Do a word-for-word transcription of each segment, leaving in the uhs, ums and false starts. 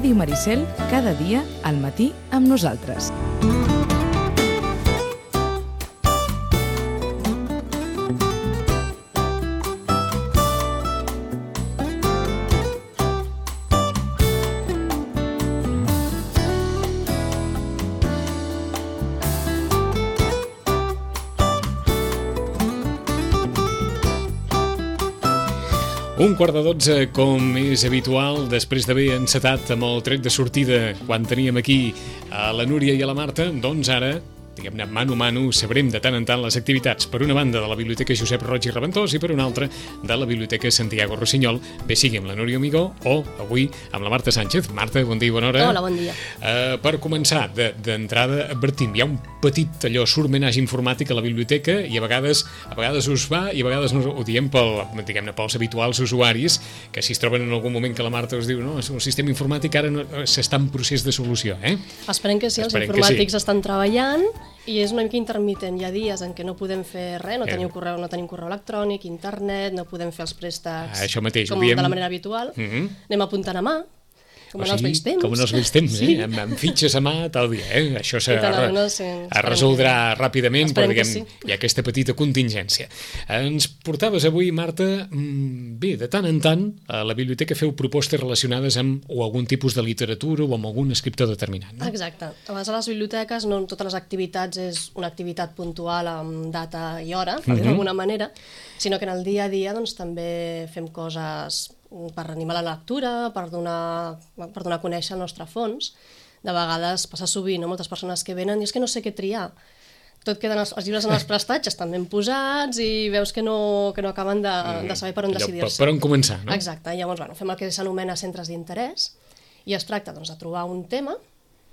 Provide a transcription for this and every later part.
Ràdio Maricel, cada dia al matí amb nosaltres. Un quart de dotze, com és habitual, després d'haver encetat amb el tret de sortida quan teníem aquí a la Núria i a la Marta, doncs ara, diguem-ne, mano a mano, sabrem de tant en tant les activitats, per una banda de la Biblioteca Josep Roig i Reventós i per una altra de la Biblioteca Santiago Rossinyol, bé sigui amb la Núria Amigó o avui amb la Marta Sánchez. Marta, bon dia i bona hora. Hola, bon dia. Uh, per començar, d'entrada, advertim, hi ha un petit allò surmenatge informàtic a la biblioteca i a vegades a vegades us va i a vegades no, ho diem pel, diguem-ne, pels habituals usuaris, que si es troben en algun moment que la Marta us diu no, el sistema informàtic ara no, s'està en procés de solució, eh? Esperem que sí, els Esperem informàtics sí. estan treballant i és una mica intermitent. Hi ha dies en què no podem fer res, no, eh. teniu correu, no tenim correu electrònic, internet, no podem fer els préstecs ah, això mateix, com diem... de la manera habitual. Mm-hmm. Anem apuntant a mà, com en els vells temps. Com en els vells temps, sí. eh? amb, amb fitxes a mà tal dia. Eh? Això se, tal, no, sí, es resoldrà que... ràpidament, però diguem, sí. hi ha aquesta petita contingència. Ens portaves avui, Marta, bé, de tant en tant, a la biblioteca feu propostes relacionades amb o algun tipus de literatura o amb algun escriptor determinat, no? Exacte. A vegades a les biblioteques no totes les activitats és una activitat puntual amb data i hora, per dir-ho d'alguna manera, sinó que en el dia a dia doncs, també fem coses per animar la lectura, per donar, per donar a conèixer el nostre fons. De vegades passa sovint, no? Moltes persones que venen i és que no sé què triar. Tot queden els, els llibres en els prestatges estan ben posats i veus que no, que no acaben de, de saber per on decidir-se. Per on començar, no? Exacte. Llavors, bueno, fem el que s'anomena centres d'interès i es tracta doncs, de trobar un tema,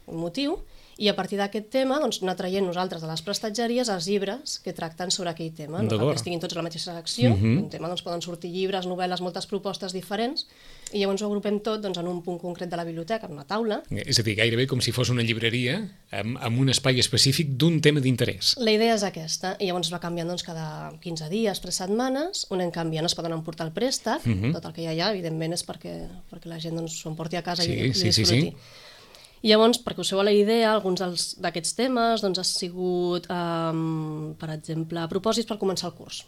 un motiu, i a partir d'aquest tema doncs, anar traient nosaltres de les prestatgeries els llibres que tracten sobre aquell tema, no cal que estiguin tots a la mateixa secció, uh-huh. un tema doncs, poden sortir llibres, novel·les, moltes propostes diferents, i llavors ho agrupem tot doncs, en un punt concret de la biblioteca, en una taula. És a dir, gairebé com si fos una llibreria amb, amb un espai específic d'un tema d'interès. La idea és aquesta, i llavors va canviant doncs, cada quinze dies, tres setmanes, on en canviant es poden emportar el préstec, uh-huh. tot el que hi ha allà, evidentment, és perquè, perquè la gent doncs, s'ho emporti a casa sí, i, i sí, disfruti. Sí, sí. I llavors, perquè us feu la idea, alguns d'aquests temes doncs, ha sigut, um, per exemple, propòsits per començar el curs.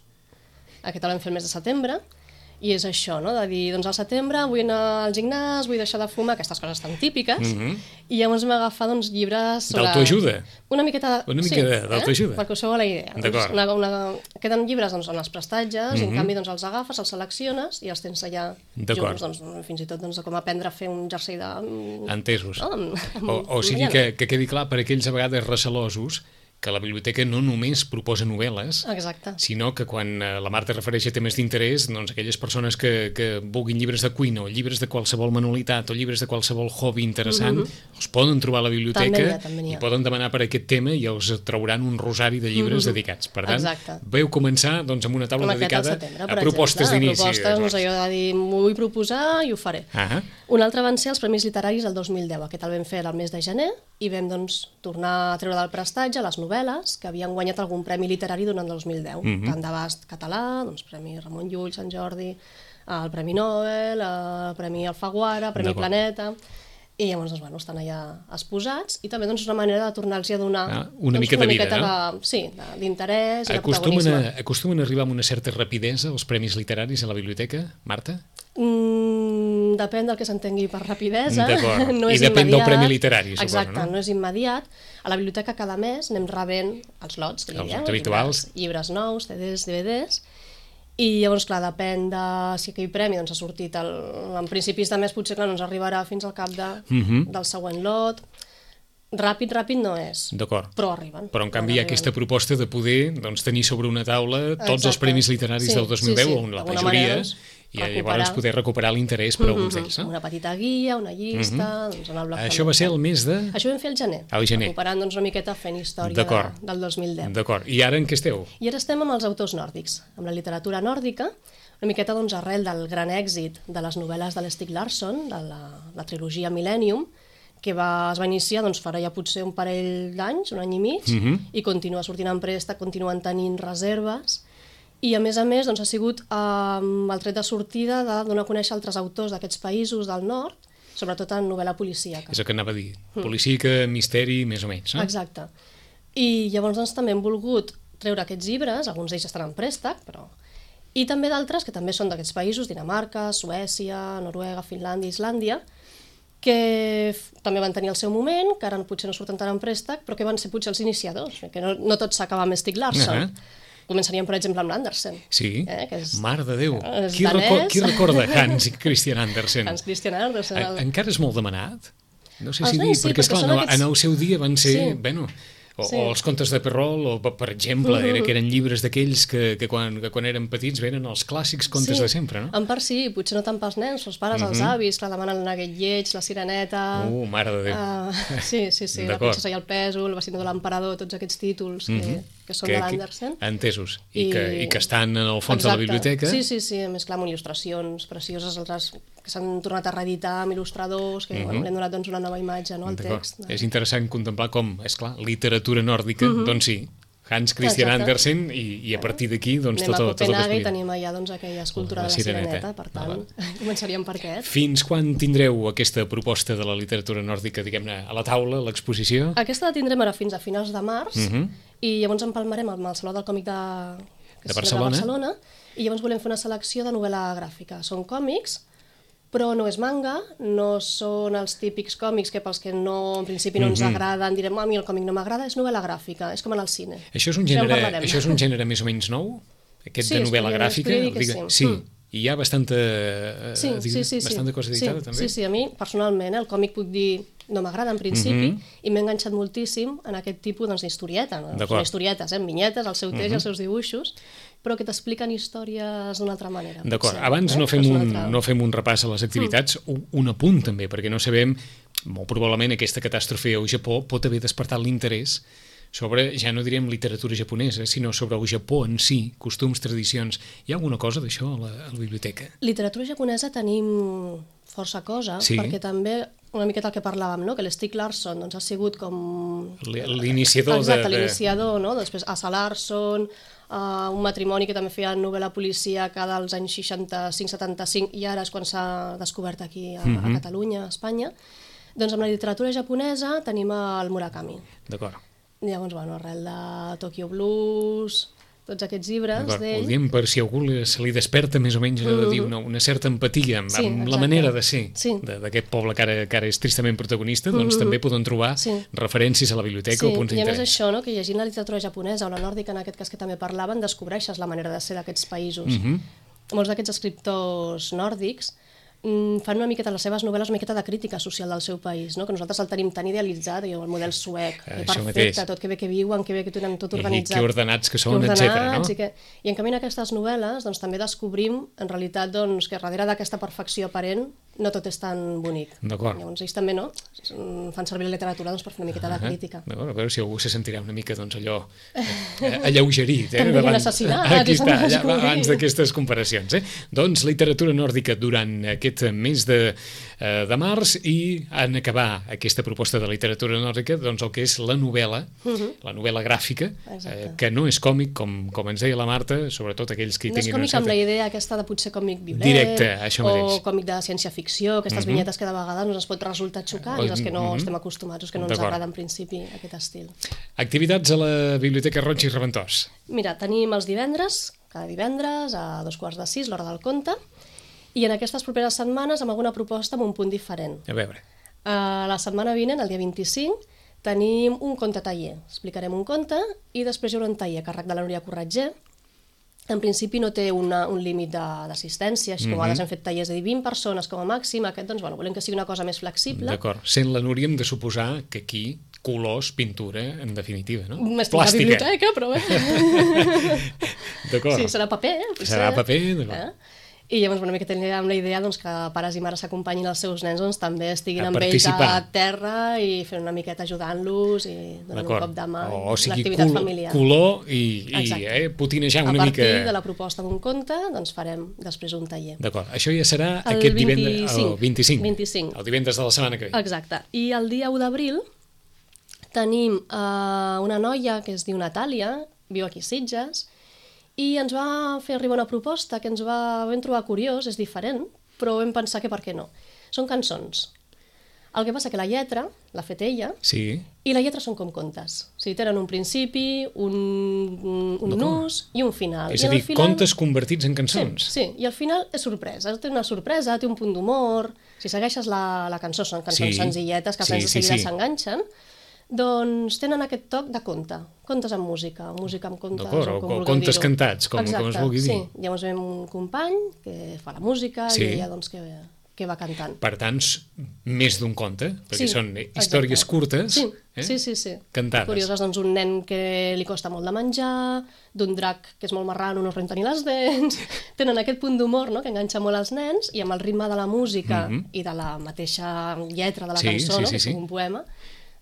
Aquest el vam fer el mes de setembre, i és això, no? De dir, doncs al setembre vull anar al gimnàs, vull deixar de fumar, aquestes coses tan típiques, mm-hmm. i llavors m'he agafat doncs, llibres sobre... D'autoajuda? Una miqueta... Una mica sí, d'autoajuda? Eh? Perquè us feu la idea. D'acord. Una, una... Queden llibres doncs, en els prestatges, mm-hmm. i en canvi doncs, els agafes, els selecciones i els tens allà junts, doncs, fins i tot doncs, com aprendre a fer un jersei de... Entesos. No? Amb, amb... O, o sigui que, que quedi clar per aquells a vegades recelosos que la biblioteca no només proposa novel·les, exacte. Sinó que quan la Marta refereix a temes d'interès, doncs aquelles persones que, que vulguin llibres de cuina o llibres de qualsevol manualitat o llibres de qualsevol hobby interessant, mm-hmm. els poden trobar a la biblioteca també hi ha, també hi ha. I poden demanar per aquest tema i els trauran un rosari de llibres mm-hmm. dedicats. Per tant, exacte. Veu començar doncs, amb una taula com dedicada setembre, a propostes d'inici. Propostes, no sé, jo de dir, m'ho vull proposar i ho faré. Uh-huh. Un altre van ser els Premis Literaris del dos mil deu. Aquest el vam fer el mes de gener i vam doncs, tornar a treure del prestatge les novel·les que havien guanyat algun premi literari durant el dos mil deu. Mm-hmm. Tant d'abast català, doncs, Premi Ramon Llull, Sant Jordi, el Premi Nobel, el Premi Alfaguara, el Premi Planeta... I llavors doncs, bueno, estan allà exposats i també doncs, una manera de tornar-los a donar ah, una doncs, mica una de vida, miqueta no? de, sí, d'interès i de acostumen protagonisme. A, acostumen a arribar amb una certa rapidesa els premis literaris a la biblioteca, Marta? Mm, depèn del que s'entengui per rapidesa. No I és depèn immediat. del premi literari, suposo, exacte, no? no és immediat. A la biblioteca cada mes anem rebent els lots, que els diem, habituals. Llibres, llibres nous, C Ds, D V Ds, i llavors, clar, depèn de si aquell premi doncs, ha sortit el, en principis de mes, potser clar, no ens arribarà fins al cap de, uh-huh. del següent lot. Ràpid, ràpid no és, però arriben. Però en canvi hi ha aquesta proposta de poder doncs, tenir sobre una taula tots exacte. Els premis literaris sí, del dos mil deu, sí, sí. on la majoria, manera, i recuperar. Llavors poder recuperar l'interès per mm-hmm. alguns d'ells. No? Una petita guia, una llista... Mm-hmm. doncs, en el bloc això va ser el mes de... Això ho vam fer al gener, al gener. recuperant doncs, una miqueta fent història de, del dos mil deu. D'acord, i ara en què esteu? I ara estem amb els autors nòrdics, amb la literatura nòrdica, una miqueta doncs, arrel del gran èxit de les novel·les de l'Stieg Larsson, de la, la trilogia Millennium, que va, es va iniciar doncs, farà ja potser un parell d'anys, un any i mig, uh-huh. i continua sortint en préstec, continuen tenint reserves, i a més a més doncs, ha sigut eh, el tret de sortida de donar a conèixer altres autors d'aquests països del nord, sobretot en novel·la policíaca. És el que anava a dir. Policíaca, misteri, més o menys, no? Exacte. I llavors doncs, també hem volgut treure aquests llibres, alguns d'ells estan en préstec, però... I també d'altres que també són d'aquests països, Dinamarca, Suècia, Noruega, Finlàndia, Islàndia, que també van tenir el seu moment, que ara potser no surten tant en préstec, però que van ser potser els iniciadors, que no, no tot s'acaba amb Stieg Larsson. Uh-huh. Començaríem, per exemple, amb l'Andersen. Sí, eh, que és, mare de Déu. És qui, danès. record, qui recorda Hans Christian Andersen? Hans Christian Andersen. En, encara és molt demanat? No sé Els si dir, nens sí, perquè, perquè esclar, són no, aquests- en el seu dia van ser... Sí. Bueno, o, Sí. o els contes de Perrol, o per exemple, era que eren llibres d'aquells que, que, quan, que quan eren petits venen els clàssics contes de sempre, no? En part sí, potser no tant pels nens, els pares, els avis, clar, demanen el Nugget lleig, la Sireneta... Uh, mare de Déu. Uh, sí, sí, sí, la D'acord. princesa i el pèsol, el vestidor de l'emperador, tots aquests títols que, que són de l'Andersen. Entesos. I, I- que, I que estan en el fons de la Exacte. biblioteca. Sí, sí, sí, a més clar, amb il·lustracions precioses, altres que s'han tornat a reeditar amb il·lustradors, que bueno, li han donat doncs, una nova imatge no, al D'acord. text. És interessant contemplar com, és clar, literatura nòrdica, doncs sí, Hans Christian Exacte. Andersen, i, i a partir d'aquí, doncs, Anem tot, a tot el que es Copenhague i podia. tenim allà doncs, aquella escultura La de la Sireneta. Sireneta, per tant, començaríem per aquest. Fins quan tindreu aquesta proposta de la literatura nòrdica, diguem-ne, a la taula, a l'exposició? Aquesta la tindrem ara fins a finals de març Mhm. i llavors empalmarem amb el Saló del Còmic de, que De es celebra a Barcelona. Barcelona i llavors volem fer una selecció de novel·la gràfica. Són còmics, però no és manga, no són els típics còmics que pels que no, en principi no ens Mhm. agraden, direm, a mi el còmic no m'agrada, és novel·la gràfica, és com en el cine. Això és un Ja en gènere, parlarem. això és un gènere més o menys nou? Aquest Sí, de es novel·la podria- es gràfica? podria dir que Digue- sí. sí. Mm. I hi ha bastanta, eh, Sí, digue- sí, sí, sí. bastanta cosa editada, sí, també? Sí, sí, a mi personalment eh, el còmic puc dir no m'agrada en principi Mhm. i m'he enganxat moltíssim en aquest tipus doncs, d'historieta, no? D'acord. Són historietes, eh, amb vinyetes, el seu text i els seus dibuixos, però que t'expliquen històries d'una altra manera. D'acord, potser, abans eh? no fem, És una un, altra- no fem un repàs a les activitats, un, un apunt també, perquè no sabem, molt probablement aquesta catàstrofe al Japó pot haver despertat l'interès sobre, ja no direm literatura japonesa, sinó sobre el Japó en si, costums, tradicions. Hi ha alguna cosa d'això a la, a la biblioteca? Literatura japonesa tenim força cosa, Sí. perquè també una miqueta el que parlàvem, no? Que l'Stieg Larsson doncs, ha sigut com... L- L'iniciador de... Exacte, de... l'iniciador, no? Després Asa Larsson, uh, un matrimoni que també feia novel·la policíaca dels anys seixanta-cinc setanta-cinc i ara és quan s'ha descobert aquí a, a Catalunya, a Espanya. Doncs amb la literatura japonesa tenim el Murakami. D'acord. Llavors, bueno, arrel de Tokyo Blues, tots aquests llibres D'acord, ho d'ell... diem per si algú li- se li desperta més o menys allò de dir una, una certa empatia amb, Sí, amb la exacte. manera de ser Sí. de- d'aquest poble que ara, que ara és tristament protagonista, doncs també poden trobar Sí. referències a la biblioteca Sí, o punts i a més d'interès. això, no, que llegint la literatura japonesa o la nòrdica, en aquest cas que també parlaven, descobreixes la manera de ser d'aquests països. Mhm. Molts d'aquests escriptors nòrdics mm, fan una miqueta les seves novel·les, una miqueta de crítica social del seu país, no? Que nosaltres el tenim tan idealitzat, i el model suec, que Això perfecte, mateix. tot que bé que viuen, que bé que tenen tot I organitzat. que ordenats que que són, etcètera, no? I, que... I en canvi en aquestes novel·les doncs, també descobrim en realitat doncs, que darrere d'aquesta perfecció aparent no tot és tan bonic. D'acord. Llavors ells també no Mm, fan servir la literatura doncs, per fer una miqueta de crítica. D'acord, a veure si algú se sentirà una mica doncs, allò eh, alleugerit. Eh, També hi ha davant- assassinats, Aquí i s'han està, de ja, descobrir. abans d'aquestes comparacions. Eh? Doncs literatura nòrdica durant aquest mes de, eh, de març i en acabar aquesta proposta de literatura nòrdica doncs el que és la novel·la, la novel·la gràfica, eh, Exacte. que no és còmic, com, com ens deia la Marta, sobretot aquells que hi No és tinguin una còmic amb certa... la idea aquesta de potser còmic vibrer, Directe, això mateix. o còmic de ciència-ficció, aquestes vinyetes que de vegades ens pot resultar xocants, els que no Mhm. estem acostumats, els que no ens D'acord. agrada en principi aquest estil. Activitats a la Biblioteca Roig i Reventós. Mira, tenim els divendres, cada divendres, a dos quarts de sis, l'hora del conte, i en aquestes properes setmanes amb alguna proposta amb un punt diferent. A veure, Uh, la setmana vinent, el dia vint-i-cinc, tenim un conte taller. Explicarem un conte i després hi haurà un taller a càrrec de la Núria Corretger. En principi no té una, un límit de- d'assistència, així com a vegades hem fet tallers de dir vint persones com a màxim, aquest doncs, bueno, volem que sigui una cosa més flexible. d'acord. Sent la Núria hem de suposar que aquí colors, pintura, en definitiva, no? Estic a la biblioteca, però bé. D'acord. Sí, serà paper, eh? potser. Serà paper, d'acord. Eh? I llavors, bueno, una mica teníem la idea doncs, que pares i mares s'acompanyin els seus nens, doncs també estiguin A amb ells a participar. terra i fent una miqueta ajudant-los i donant un D'acord. cop de mà. O, o sigui, l'activitat col familiar. color i, i Exacte. eh, potinejar A una partir mica... de la proposta d'un conte, doncs farem després un taller. D'acord. Això ja serà El aquest divendres... vint-i-cinc. El vint-i-cinc. vint-i-cinc. El divendres de la setmana que ve. Exacte. I el dia u d'abril tenim eh, una noia que es diu Natàlia, viu aquí a Sitges, i ens va fer arribar una proposta que ens va, vam trobar curiós, és diferent, però vam pensar que per què no. Són cançons. El que passa que la lletra l'ha fet ella, sí. i la lletra són com contes. O sigui, tenen un principi, un, un nus i un final. És I a dir, final... contes convertits en cançons. Sí, sí, i al final és sorpresa. Té una sorpresa, té un punt d'humor. Si segueixes la, la cançó, són cançons sí. senzilletes que sí, de seguida s'enganxen, sí, sí. doncs tenen aquest toc de conte. Contes amb música, música amb contes, o com o contes cantats, com, Exacte, com es vulgui dir. Sí, llavors veiem un company que fa la música sí. i ella doncs que... que va cantant. Per tant, més d'un conte, perquè sí, són històries exacte. curtes, sí, eh? sí, sí, sí. cantades. Curioses, doncs un nen que li costa molt de menjar, d'un drac que és molt marrano, no es renta ni les dents, tenen aquest punt d'humor, no?, que enganxa molt els nens, i amb el ritme de la música mm-hmm. i de la mateixa lletra de la sí, cançó, sí, no?, sí, que és sí. un poema,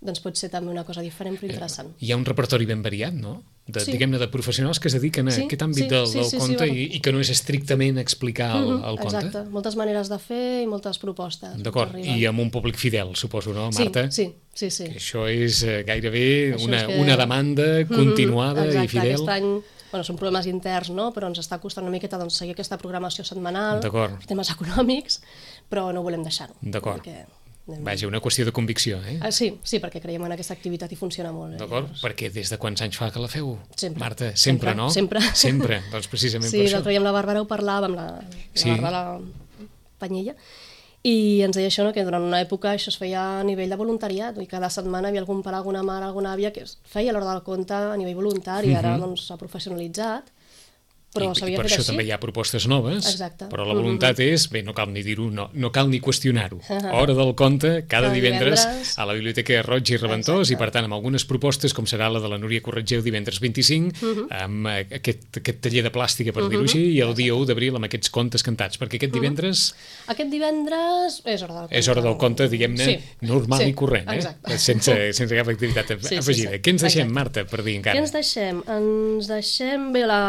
doncs pot ser també una cosa diferent però interessant. Hi ha un repertori ben variat, no? De, sí. Diguem-ne, de professionals que es dediquen a sí, aquest àmbit sí, del, del sí, sí, conte sí, i, i que no és estrictament explicar el, mm-hmm, el conte. Exacte, moltes maneres de fer i moltes propostes. D'acord, i amb un públic fidel, suposo, no, Marta? Sí, sí, sí. sí. Que això és gairebé això una, és que... una demanda continuada mm-hmm, exacte, i fidel. Aquest any... Bueno, són problemes interns, no? Però ens està costant una miqueta doncs, seguir aquesta programació setmanal, temes econòmics, però no volem deixar-ho. D'acord. Perquè... Vaja, una qüestió de convicció, eh? Ah, sí, sí, perquè creiem en aquesta activitat i funciona molt. D'acord, eh? Perquè des de quants anys fa que la feu? Sempre. Marta, sempre, sempre no? Sempre. Sempre, doncs precisament sí, per això. Sí, l'altre dia amb la Bàrbara ho parlàvem, la, la sí. Bàrbara Panyella, i ens deia això, no? Que durant una època això es feia a nivell de voluntariat, i cada setmana hi havia algun pare, alguna mare, alguna àvia que feia l'hora del conte a nivell voluntari, mm-hmm. ara doncs s'ha professionalitzat, però I, i s'havia per fet això així. També hi ha propostes noves, Exacte. Però la voluntat mm-hmm. és, bé, no cal ni dir-ho, no, no cal ni qüestionar-ho. Hora del conte, cada, cada divendres, divendres a la Biblioteca Roig i Reventós, Exacte. I per tant amb algunes propostes, com serà la de la Núria Corretgeu divendres vint-i-cinc, mm-hmm. amb aquest, aquest taller de plàstica, per mm-hmm. dir-ho així, i el dia u d'abril amb aquests contes cantats, perquè aquest divendres... Mm-hmm. Aquest divendres és hora del conte. És hora del conte, diguem-ne, sí. normal sí. i corrent, eh? Exacte. Sense, sense cap activitat sí, afegida. Sí, sí. Què ens deixem, Exacte. Marta, per dir encara? Què ens deixem? Ens deixem bé la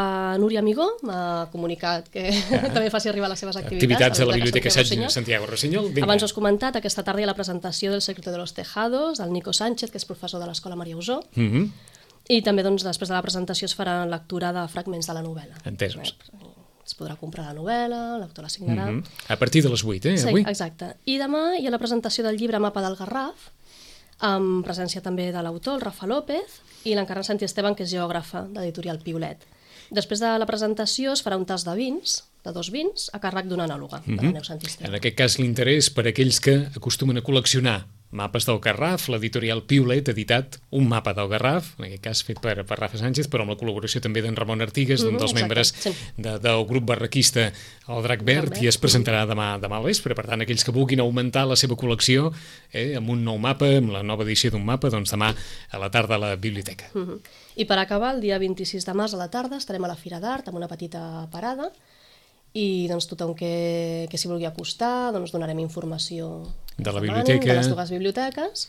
Núria Amigó, a comunicat que ah. també faci arribar les seves activitats. Activitats a la Biblioteca Santiago Rossinyol. Abans us he comentat, aquesta tarda hi ha la presentació del Secreto de los Tejados, del Nico Sánchez, que és professor de l'Escola Maria Usó, mm-hmm. i també doncs, després de la presentació es farà lectura de fragments de la novel·la. Entesos. Es podrà comprar la novel·la, l'autor la signarà... Mm-hmm. A partir de les vuit, eh, sí, avui? Exacte. I demà hi ha la presentació del llibre Mapa del Garraf, amb presència també de l'autor, el Rafa López, i l'Encarna Santi Esteban, que és geògrafa d'Editorial Piolet. Després de la presentació es farà un tas de vins, de dos vins, a càrrec d'una anàloga, mm-hmm. de la Neus Santi Esteban. En aquest cas l'interès per aquells que acostumen a col·leccionar mapes del Garraf, l'editorial Piolet ha editat un mapa del Garraf, en aquest cas fet per, per Rafa Sánchez, però amb la col·laboració també d'en Ramon Artigues, mm-hmm, un dels exacte, membres sí. de, del grup barraquista El Drac Verd, i es presentarà demà, demà al vespre. Per tant, aquells que vulguin augmentar la seva col·lecció eh, amb un nou mapa, amb la nova edició d'un mapa, doncs demà a la tarda a la biblioteca. Mm-hmm. I per acabar, el dia vint-i-sis de març a la tarda estarem a la Fira d'Art amb una petita parada, i doncs, tothom que, que s'hi vulgui acostar, doncs, donarem informació de la biblioteca, de les dues biblioteques,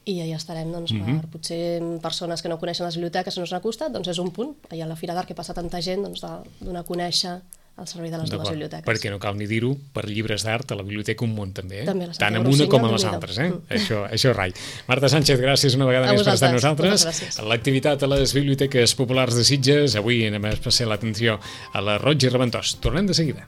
i allà estarem doncs, mm-hmm. per potser persones que no coneixen les biblioteques i no s'han acostat, doncs és un punt, allà a la Fira d'Art que passa tanta gent, doncs, de donar a conèixer el servei de les dues biblioteques. Perquè no cal ni dir-ho, per llibres d'art a la biblioteca un munt també, eh? també tant amb una com amb les altres, eh? Mm. Això, això rai. Marta Sánchez, gràcies una vegada a més per estar amb nosaltres. L'activitat a les biblioteques populars de Sitges, avui anem a passar l'atenció a la Roig i Reventós. Tornem de seguida.